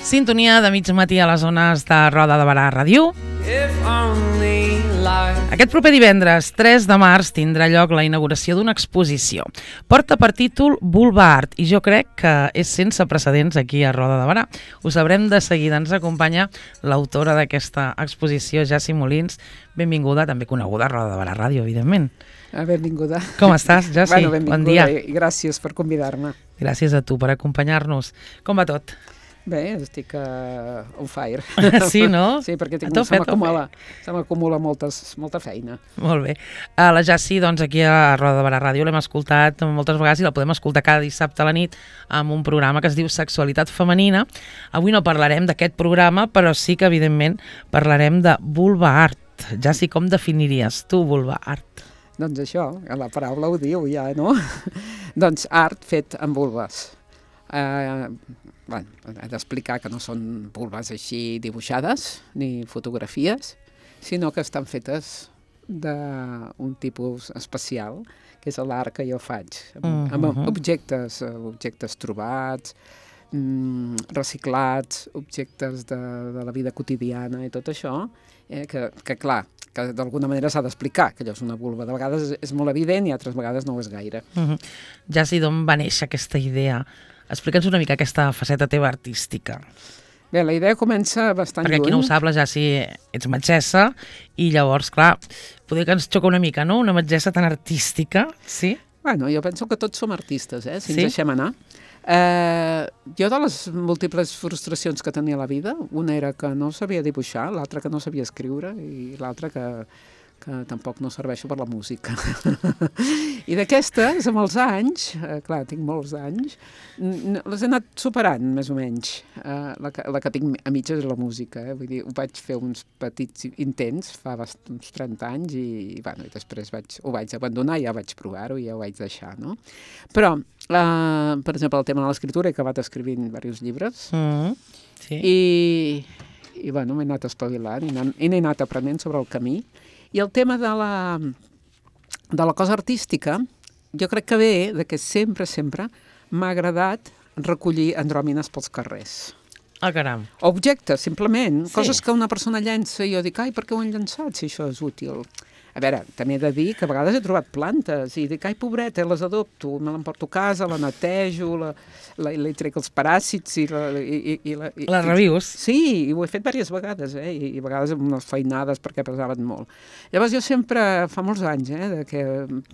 Sintonia de mig matí a les zones de Roda de Barà Ràdio. Aquest proper divendres, 3 de març, tindrà lloc la inauguració d'una exposició. Porta per títol Vulva Art i jo crec que és sense precedents aquí a Roda de Barà. Ho sabrem de seguida. Ens acompanya l'autora d'aquesta exposició, Jassi Molins. Benvinguda, també coneguda a Roda de Barà Ràdio, evidentment. Benvinguda. Com estàs, Jassi? Benvinguda, bon dia. I gràcies per convidar-me. Gràcies a tu per acompanyar-nos. Com va tot? Bé, estic on fire. Sí, no? Sí, perquè se m'acumula molta feina. Molt bé. La Jassi, doncs, aquí a Roda de Barà Ràdio l'hem escoltat moltes vegades i la podem escoltar cada dissabte a la nit amb un programa que es diu Sexualitat Femenina. Avui no parlarem d'aquest programa, però sí que, evidentment, parlarem de Vulva Art. Jassi, com definiries tu Vulva Art? Doncs això, la paraula ho diu ja, no? Doncs art fet amb vulves. He d'explicar que no són vulves així dibuixades ni fotografies, sinó que estan fetes d'un tipus especial, que és l'art que jo faig, amb objectes trobats, reciclats, objectes de la vida quotidiana i tot això, que clar, que d'alguna manera s'ha d'explicar que allò és una vulva. De vegades és molt evident i altres vegades no ho és gaire. Jassi, d'on va néixer aquesta idea? Explica'ns una mica aquesta faceta teva artística. Bé, la idea comença bastant lluny. Perquè qui no ho sap, la Jassi ets metgessa i llavors, clar, poder que ens xoca una mica, no? Una metgessa tan artística, sí? Bueno, jo penso que tots som artistes, si ens deixem anar. Jo de les múltiples frustracions que tenia a la vida, una era que no sabia dibuixar, l'altra que no sabia escriure i l'altra que tampoc no serveixo per la música. I d'aquestes, amb els anys, clar, tinc molts anys, les he anat superant, més o menys. La que tinc a mitges és la música, vull dir, ho vaig fer uns petits intents fa uns 30 anys i després ho vaig abandonar, ja vaig provar-ho i ja ho vaig deixar, no? Però, per exemple, el tema de l'escriptura, he acabat escrivint diversos llibres i bueno, m'he anat espavilant i n'he anat aprenent sobre el camí. I el tema de la cosa artística, jo crec que ve que sempre m'ha agradat recollir andròmines pels carrers. Ah, caram. Objectes, simplement, coses que una persona llença i jo dic, ai, per què ho han llençat si això és útil? A veure, també he de dir que a vegades he trobat plantes i dic, ai, pobreta, les adopto, me l'emporto a casa, la netejo, li trec els paràsits i les revius? Sí, i ho he fet diverses vegades, i a vegades amb unes feinades perquè pesaven molt. Llavors jo sempre, fa molts anys,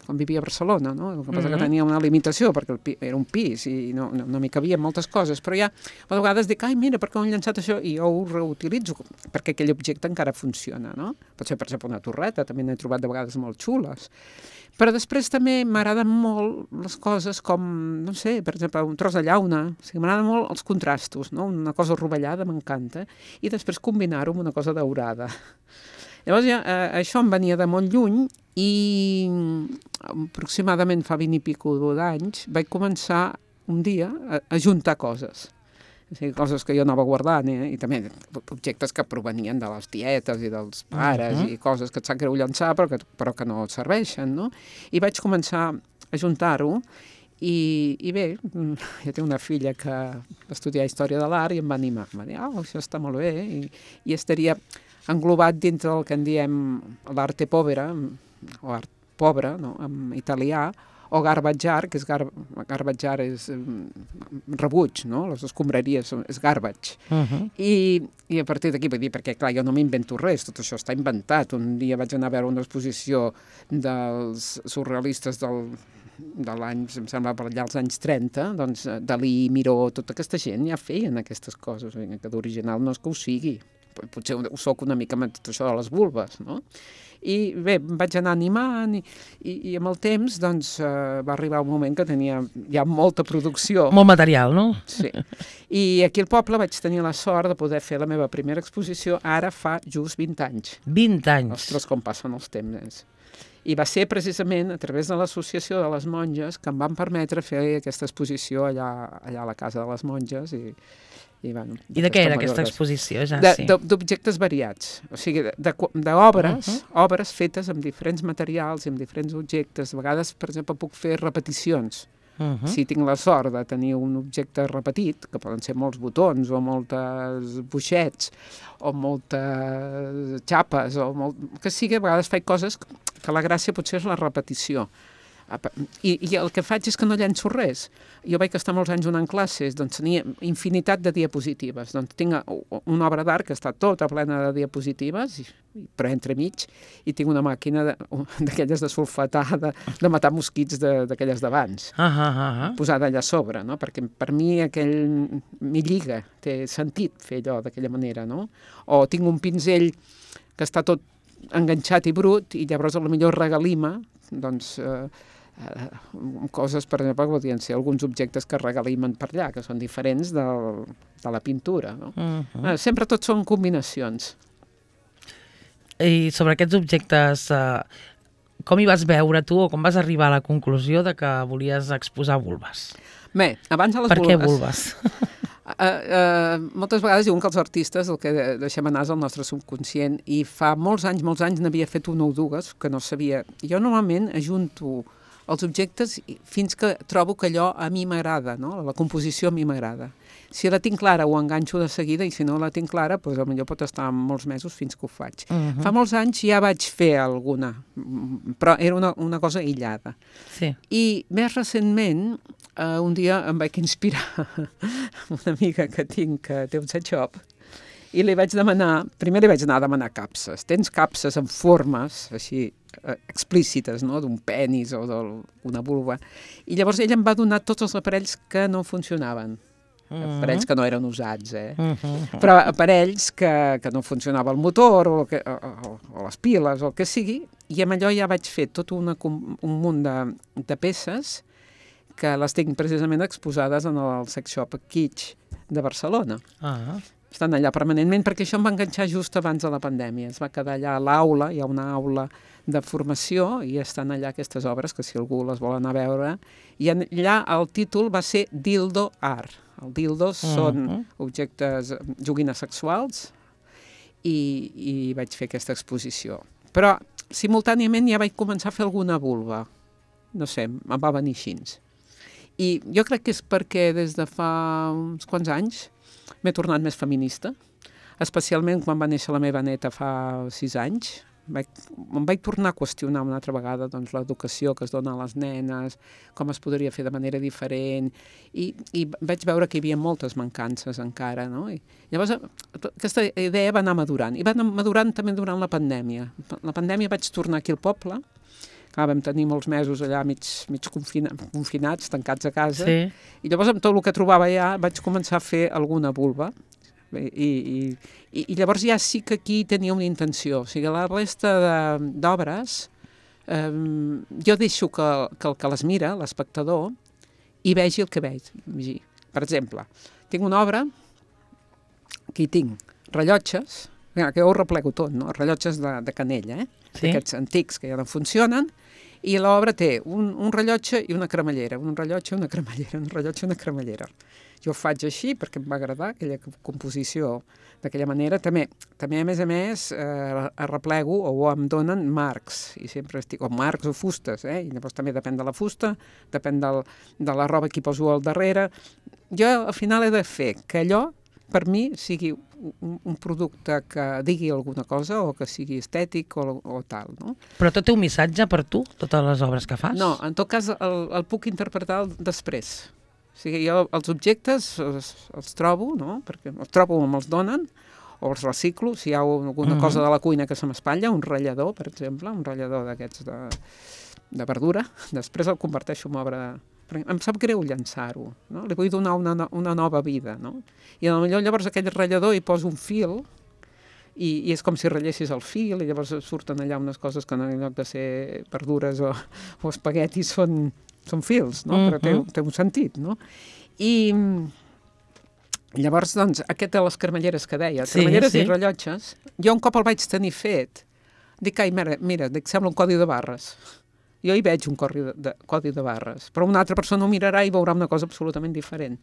quan vivia a Barcelona, no? El que passa que tenia una limitació perquè era un pis i no m'hi cabien moltes coses, però ja a vegades dic, ai, mira, per què ho han llançat això? I jo ho reutilitzo, perquè aquell objecte encara funciona, no? Pot ser, per exemple, una torreta, també n'he trobat de vegades molt xules. Però després també m'agraden molt les coses com, no sé, per exemple, un tros de llauna. O sigui, m'agraden molt els contrastos, no? Una cosa rovellada m'encanta. I després combinar-ho amb una cosa daurada. Llavors ja, això em venia de molt lluny i aproximadament fa 20 i pico d'anys vaig començar un dia a juntar coses. O sigui, coses que jo anava guardant, i també objectes que provenien de les tietes i dels pares i coses que et sap greu llançar però que no et serveixen, no? I vaig començar a juntar-ho i bé, jo tinc una filla que va estudiar Història de l'Art i em va animar. Em va dir, això està molt bé, i estaria englobat dintre del que en diem l'arte povera, o art pobre, no? En italià, o garbage art, que garbage art és rebuig, no? Les escombraries és garbage. I a partir d'aquí, perquè clar, jo no m'invento res, tot això està inventat. Un dia vaig anar a veure una exposició dels surrealistes de l'any, em sembla, per allà als anys 30, doncs Dalí, Miró, tota aquesta gent ja feien aquestes coses, que d'original no és que ho sigui. Potser ho soc una mica amb tot això de les vulves, no? I bé, em vaig anar animant i amb el temps doncs, va arribar un moment que tenia ja molta producció. Molt material, no? Sí. I aquí al poble vaig tenir la sort de poder fer la meva primera exposició ara fa just 20 anys. 20 anys? Ostres, com passen els temps. I va ser precisament a través de l'associació de les monges que em van permetre fer aquesta exposició allà a la casa de les monges I de què era aquesta exposició, Jassi? D'objectes variats, o sigui, d'obres fetes amb diferents materials i amb diferents objectes. A vegades, per exemple, puc fer repeticions. Si tinc la sort de tenir un objecte repetit, que poden ser molts botons o moltes buixets o moltes xapes o que sigui, a vegades faig coses que la gràcia potser és la repetició. I el que faig és que no llenço res. Jo vaig estar molts anys donant classes, doncs tenia infinitat de diapositives. Doncs tinc una obra d'art que està tota plena de diapositives, però entremig, i tinc una màquina d'aquelles de sulfatar, de matar mosquits d'aquelles d'abans, posada allà a sobre, no? Perquè per mi m'hi lliga, té sentit fer allò d'aquella manera, no? O tinc un pinzell que està tot enganxat i brut, i llavors potser regalima, doncs, coses, per exemple, podrien ser alguns objectes que regalimen per allà, que són diferents de la pintura, no? Sempre tot són combinacions. I sobre aquests objectes, com hi vas veure tu o com vas arribar a la conclusió de que volies exposar vulves? Bé, abans de les vulves... Per què vulves? Moltes vegades diuen que els artistes el que deixem anar és el nostre subconscient, i fa molts anys n'havia fet una o dues que no sabia. Jo normalment ajunto els objectes fins que trobo que allò a mi m'agrada, no? La composició a mi m'agrada. Si la tinc clara ho enganxo de seguida, i si no la tinc clara, doncs potser pot estar molts mesos fins que ho faig. Fa molts anys ja vaig fer alguna, però era una cosa aïllada. Sí. I més recentment, un dia em vaig inspirar una amiga que tinc que té un set shop, i li vaig demanar, primer li vaig anar a demanar capses. Tens capses en formes així explícites, no? D'un penis o d'una vulva. I llavors ella em va donar tots els aparells que no funcionaven. Aparells que no eren usats, però aparells que no funcionava el motor o les piles o el que sigui, i amb allò ja vaig fer tot un munt de peces que les tinc precisament exposades en el sex shop Kitsch de Barcelona. Estan allà permanentment, perquè això em va enganxar just abans de la pandèmia. Es va quedar allà a l'aula, hi ha una aula de formació, i estan allà aquestes obres, que si algú les vol anar a veure. I allà el títol va ser Dildo Art. Els dildos són objectes, joguines sexuals, i vaig fer aquesta exposició. Però simultàniament ja vaig començar a fer alguna vulva. No sé, em va venir així. I jo crec que és perquè des de fa uns quants anys m'he tornat més feminista, especialment quan va néixer la meva neta fa 6 anys. Em vaig tornar a qüestionar una altra vegada l'educació que es dona a les nenes, com es podria fer de manera diferent, i vaig veure que hi havia moltes mancances encara, no? I llavors aquesta idea va anar madurant, i va anar madurant també durant la pandèmia. La pandèmia vaig tornar aquí al poble, vam tenir molts mesos allà mig confinats, tancats a casa, i llavors amb tot el que trobava allà vaig començar a fer alguna vulva, i llavors ja sí que aquí tenia una intenció. O sigui, la resta d'obres jo deixo que el que les mira, l'espectador, hi vegi el que veig. Per exemple, tinc una obra que hi tinc rellotges, que jo ho replego tot, no? Rellotges de canella, aquests antics que ja no funcionen, i l'obra té un rellotge i una cremallera, un rellotge i una cremallera, un rellotge i una cremallera. Jo ho faig així perquè em va agradar aquella composició d'aquella manera. També a més, arreplego o em donen marcs, i sempre estic, o marcs o fustes, i llavors també depèn de la fusta, depèn de la roba que hi poso al darrere. Jo al final he de fer que allò, per mi, sigui un producte que digui alguna cosa o que sigui estètic o tal, no? Però tot té un missatge per tu, totes les obres que fas? No, en tot cas el puc interpretar després. O sigui, jo els objectes els trobo, no? Perquè els trobo o me'ls donen, o els reciclo, si hi ha alguna cosa de la cuina que se m'espatlla, un ratllador, per exemple, un ratllador d'aquests de verdura, després el converteixo en obra. Em sap greu llançar-ho, no? Li vull donar una nova vida, no? I potser llavors aquell ratllador hi poso un fil, i és com si ratllessis el fil, i llavors surten allà unes coses que en lloc de ser verdures o espaguetis són fils, no? Però té un sentit, no? I llavors, doncs, aquest de les cremalleres que deia, cremalleres i rellotges, jo un cop el vaig tenir fet, dic, mira, sembla un codi de barres. Jo hi veig un codi de barres, però una altra persona ho mirarà i veurà una cosa absolutament diferent.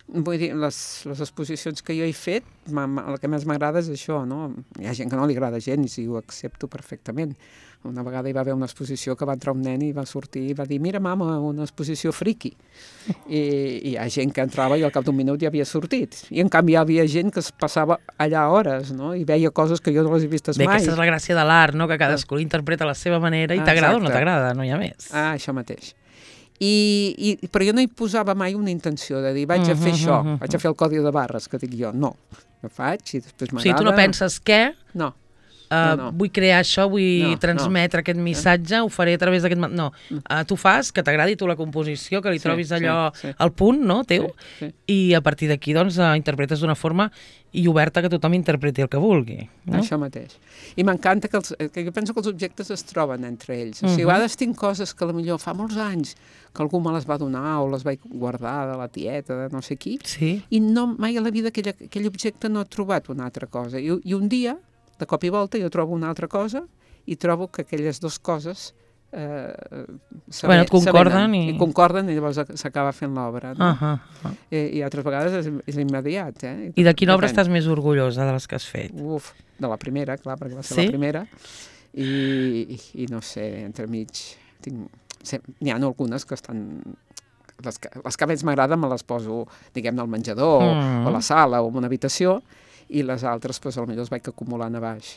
Vull dir, les exposicions que jo he fet, el que més m'agrada és això, no? Hi ha gent que no li agrada gens i ho accepto perfectament. Una vegada hi va haver una exposició que va entrar un nen i va sortir i va dir, mira, mama, una exposició friki. I hi ha gent que entrava i al cap d'un minut ja havia sortit. I en canvi hi havia gent que es passava allà hores, no? I veia coses que jo no les he vistes mai. Bé, aquesta és la gràcia de l'art, no? Que cadascú l'interpreta a la seva manera i t'agrada o no t'agrada, no hi ha més. Això mateix. Però jo no hi posava mai una intenció de dir vaig a fer això, vaig a fer el codi de barres, que dic jo. No, ho faig i després m'agrada. O sigui, tu no penses què? No. Vull crear això, vull transmetre aquest missatge, ho faré a través d'aquest... No, tu fas, que t'agradi tu la composició, que li trobis allò al punt, no, teu, i a partir d'aquí, doncs, interpretes d'una forma i oberta que tothom interpreti el que vulgui. Això mateix. I m'encanta que jo penso que els objectes es troben entre ells. O sigui, a vegades tinc coses que potser fa molts anys que algú me les va donar o les vaig guardar de la tieta, de no sé qui, i mai a la vida aquell objecte no ha trobat una altra cosa. I un dia, de cop i volta, jo trobo una altra cosa i trobo que aquelles dues coses et concorden i concorden i llavors s'acaba fent l'obra. I altres vegades és immediat. I de quina obra estàs més orgullosa de les que has fet? De la primera, clar, perquè va ser la primera. I no sé, entremig n'hi ha algunes que estan... Les que més m'agraden me les poso, diguem-ne, al menjador o a la sala o en una habitació, i les altres, doncs, potser les vaig acumulant a baix.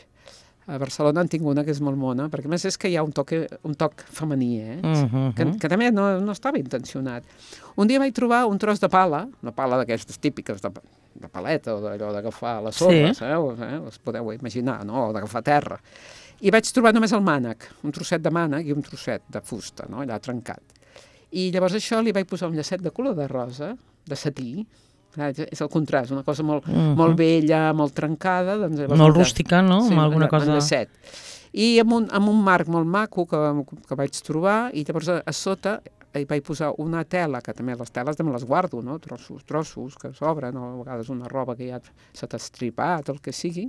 A Barcelona en tinc una que és molt mona, perquè a més és que hi ha un toc femení, que també no estava intencionat. Un dia vaig trobar un tros de pala, una pala d'aquestes típiques de paleta o d'allò d'agafar les sorres, us podeu imaginar, no? O d'agafar terra. I vaig trobar només el mànec, un trosset de mànec i un trosset de fusta, no? Allà trencat. I llavors això li vaig posar un llacet de color de rosa, de setí, és el contrast, una cosa molt vella, molt trencada. Molt rústica, no? Sí, alguna cosa... llacet. I amb un marc molt maco que vaig trobar, i llavors a sota hi vaig posar una tela, que també les teles també les guardo, no? Trossos que s'obren, o a vegades una roba que ja s'ha estripat, el que sigui,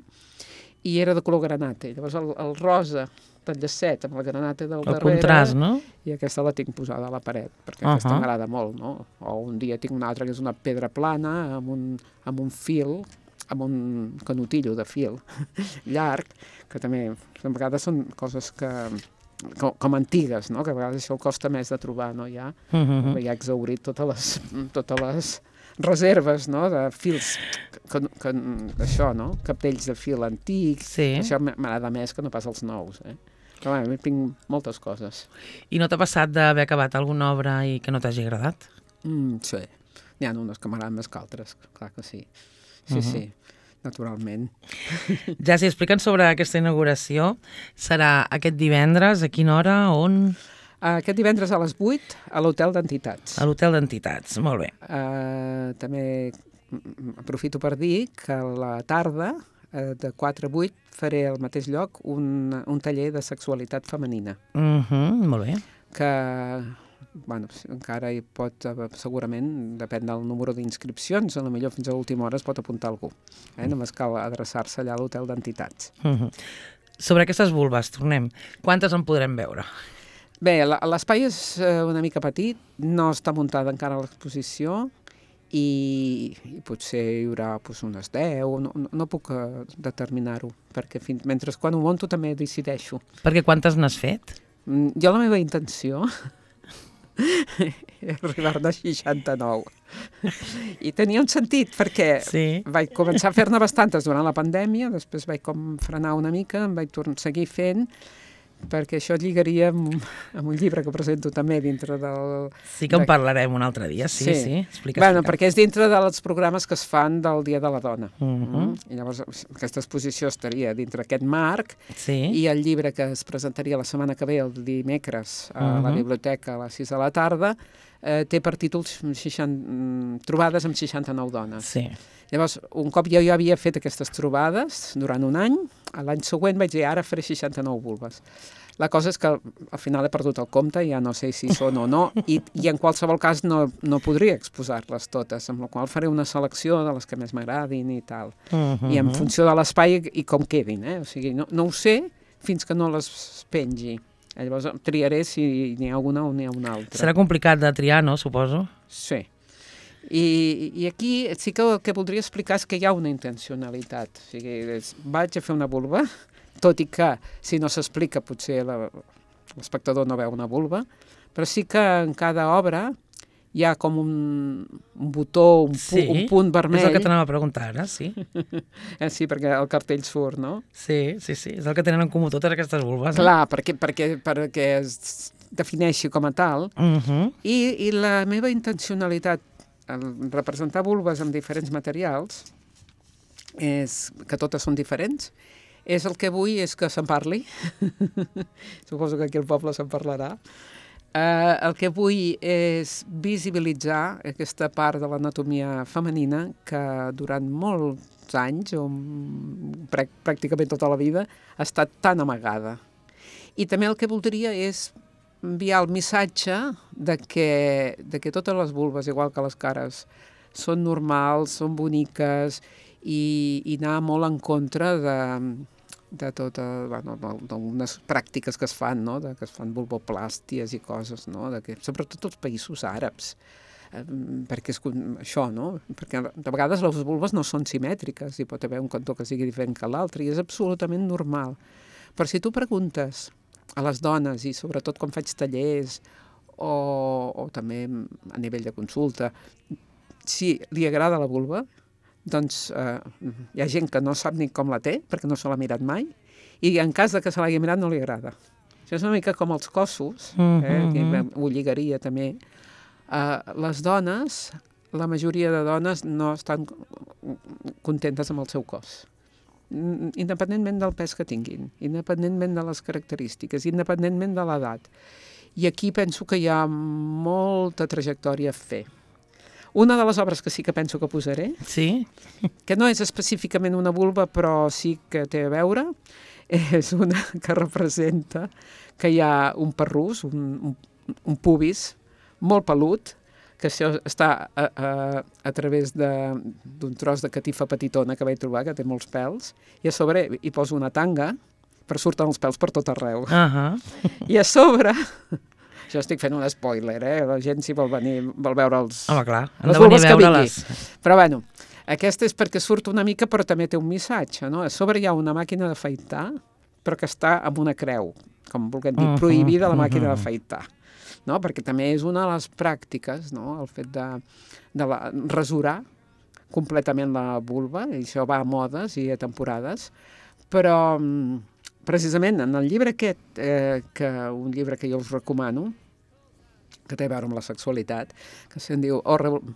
i era de color granate. Llavors el rosa del llacet amb el granate del darrere. El contrast, no? I aquesta la tinc posada a la paret, perquè aquesta m'agrada molt, no? O un dia tinc una altra que és una pedra plana amb un fil, amb un canotillo de fil llarg, que també a vegades són coses com antigues, no? Que a vegades això costa més de trobar, no? Ja he exhaurit totes les reserves, no? De fils, això, no? Capdells de fil antics, això m'agrada més que no pas els nous, Però bé, tinc moltes coses. I no t'ha passat d'haver acabat alguna obra i que no t'hagi agradat? Sí, n'hi ha unes que m'agraden més que altres, clar que sí. Sí, naturalment. Ja, si expliquen sobre aquesta inauguració, serà aquest divendres, a quina hora, on... Aquest divendres a les 8 a l'Hotel d'Entitats. A l'Hotel d'Entitats, molt bé. També aprofito per dir que a la tarda, de 4 a 8, faré al mateix lloc un taller de sexualitat femenina. Molt bé. Que, bueno, encara hi pot, segurament, depèn del número d'inscripcions, a lo millor fins a l'última hora es pot apuntar algú. Només cal adreçar-se allà a l'Hotel d'Entitats. Sobre aquestes vulves, tornem. Quantes en podrem veure? Bé, l'espai és una mica petit, no està muntada encara l'exposició i potser hi haurà unes 10, no puc determinar-ho, perquè mentre quan ho monto també decideixo. Perquè quantes n'has fet? Jo la meva intenció és arribar-ne a 69. I tenia un sentit, perquè vaig començar a fer-ne bastantes durant la pandèmia, després vaig frenar una mica, em vaig seguir fent, perquè això lligaria amb un llibre que presento també dintre del... Sí que en parlarem un altre dia, sí. Explica. Bueno, perquè és dintre dels programes que es fan del Dia de la Dona. I llavors aquesta exposició estaria dintre aquest marc i el llibre que es presentaria la setmana que ve, el dimecres, a la biblioteca a les 6 de la tarda, té per títols trobades amb 69 dones. Llavors, un cop jo havia fet aquestes trobades durant un any, l'any següent vaig dir, ara faré 69 vulves. La cosa és que al final he perdut el compte, ja no sé si són o no, i en qualsevol cas no podria exposar-les totes, amb la qual faré una selecció de les que més m'agradin i tal. I en funció de l'espai i com quedin, O sigui, no ho sé fins que no les pengi. Llavors triaré si n'hi ha una o n'hi ha una altra. Serà complicat de triar, no, suposo? Sí. I aquí sí que el que voldria explicar és que hi ha una intencionalitat. O sigui, vaig a fer una vulva, tot i que si no s'explica potser l'espectador no veu una vulva, però sí que en cada obra hi ha com un botó, un punt vermell. És el que t'anava a preguntar ara, sí. Sí, perquè el cartell surt, no? Sí, és el que tenen en comú totes aquestes vulves. Clar, perquè es defineixi com a tal. I la meva intencionalitat en representar vulves amb diferents materials, que totes són diferents, és el que vull és que se'n parli. Suposo que aquí al poble se'n parlarà. El que vull és visibilitzar aquesta part de l'anatomia femenina que durant molts anys, o pràcticament tota la vida, ha estat tan amagada. I també el que voldria és enviar el missatge de que totes les vulves, igual que les cares, són normals, són boniques, i anar molt en contra de d'unes pràctiques que es fan, no? Que es fan vulvoplàsties i coses, no? Sobretot als països àrabs, perquè és això, no? Perquè de vegades les vulves no són simètriques, hi pot haver un cantó que sigui diferent que l'altre, i és absolutament normal. Però si tu preguntes a les dones, i sobretot quan faig tallers o també a nivell de consulta, si li agrada la vulva, doncs hi ha gent que no sap ni com la té, perquè no se l'ha mirat mai, i en cas de que se l'hagi mirat no li agrada. Això és una mica com els cossos, que ho lligaria també. Les dones, la majoria de dones no estan contentes amb el seu cos, independentment del pes que tinguin, independentment de les característiques, independentment de l'edat. I aquí penso que hi ha molta trajectòria a fer. Una de les obres que sí que penso que posaré, que no és específicament una vulva, però sí que té a veure, és una que representa que hi ha un perrús, un pubis, molt pelut, que això està a través d'un tros de catifa petitona que vaig trobar, que té molts pèls, i a sobre hi poso una tanga, però surten els pèls per tot arreu. I a sobre, això estic fent un spoiler, la gent si vol venir, vol veure les vulves que vingui. Però bueno, aquesta és perquè surt una mica, però també té un missatge, no? A sobre hi ha una màquina d'afaitar, però que està amb una creu, com vulguem dir, prohibida la màquina d'afaitar. No? Perquè també és una de les pràctiques, no? El fet de rasurar completament la vulva, i això va a modes i a temporades, però precisament en el llibre aquest, un llibre que jo us recomano, que té a veure amb la sexualitat, que se'n diu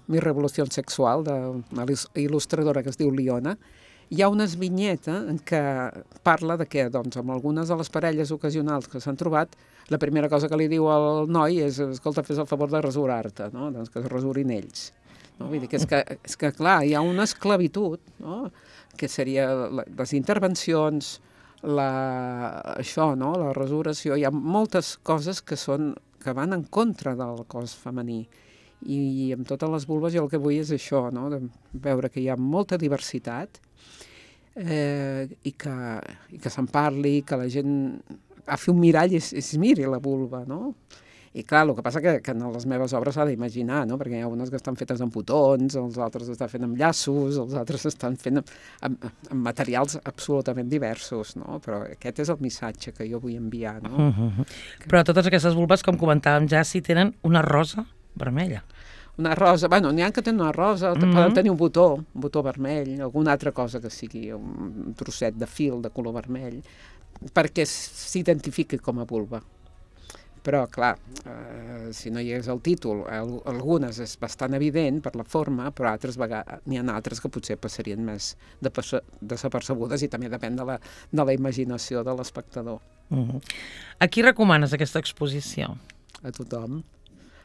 Mi revolució sexual, d'una il·lustradora que es diu Liona, hi ha una vinyeta en què parla de que, doncs, amb algunes de les parelles ocasionals que s'han trobat, la primera cosa que li diu al noi és, escolta, fes el favor de rasurar-te, no? Doncs que es rasurin ells. No? Vull dir que és que, clar, hi ha una esclavitud, no? Que seria les intervencions, això, no? La rasuració, hi ha moltes coses que van en contra del cos femení. I amb totes les vulves jo el que vull és això, no? De veure que hi ha molta diversitat, i que se'n parli, que la gent agafi un mirall i es miri la vulva, no? I clar, el que passa que en les meves obres s'ha d'imaginar, no? Perquè hi ha unes que estan fetes amb botons, els altres estan fent amb llaços, els altres estan fent amb materials absolutament diversos, no? Però aquest és el missatge que jo vull enviar, no? Però totes aquestes vulves, com comentàvem ja, sí tenen una rosa vermella. Una rosa, bueno, n'hi ha que tenen una rosa, poden tenir un botó vermell, alguna altra cosa que sigui un trosset de fil de color vermell, perquè s'identifiqui com a vulva. Però, clar, si no hi hagués el títol, algunes és bastant evident per la forma, però n'hi ha altres que potser passarien més desapercebudes, i també depèn de la imaginació de l'espectador. A qui recomanes aquesta exposició? A tothom.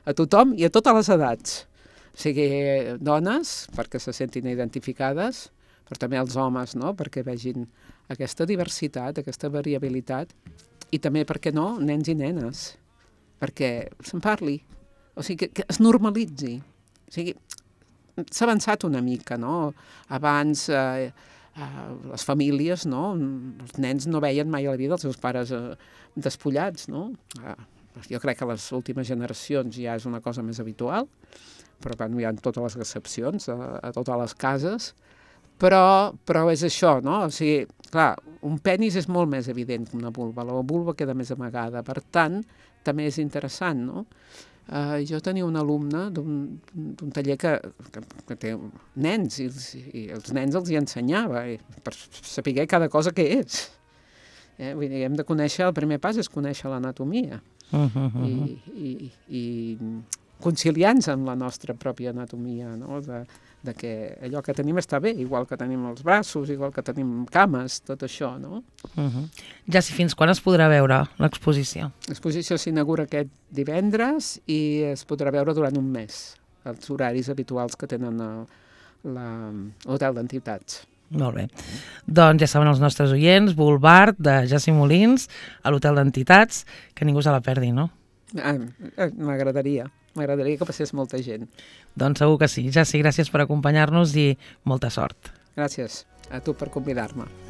A tothom i a totes les edats. O sigui, dones, perquè se sentin identificades, però també els homes, no? Perquè vegin aquesta diversitat, aquesta variabilitat, i també, per què no, nens i nenes, perquè se'n parli, o sigui, que es normalitzi. O sigui, s'ha avançat una mica, no? Abans les famílies, no? Els nens no veien mai a la vida els seus pares despullats, no? Jo crec que a les últimes generacions ja és una cosa més habitual, però bueno, hi ha totes les excepcions a totes les cases, però és això, no? O sigui, clar, un penis és molt més evident que una vulva, la vulva queda més amagada, per tant, també és interessant, no? Jo tenia un alumne d'un taller que té nens, i els nens els hi ensenyava, per saber cada cosa que és. Vull dir, hem de conèixer, el primer pas és conèixer l'anatomia, i conciliar-nos amb la nostra pròpia anatomia, no? De que allò que tenim està bé, igual que tenim els braços, igual que tenim cames, tot això, no? Ja si fins quan es podrà veure l'exposició? L'exposició s'inaugura aquest divendres i es podrà veure durant un mes, els horaris habituals que tenen l'Hotel d'Entitats. Molt bé. Doncs ja saben els nostres oients, Vulvart, de Jacint Molins, a l'Hotel d'Entitats, que ningú se la perdi, no? M'agradaria que passés molta gent. Doncs segur que sí. Jacint, gràcies per acompanyar-nos i molta sort. Gràcies a tu per convidar-me.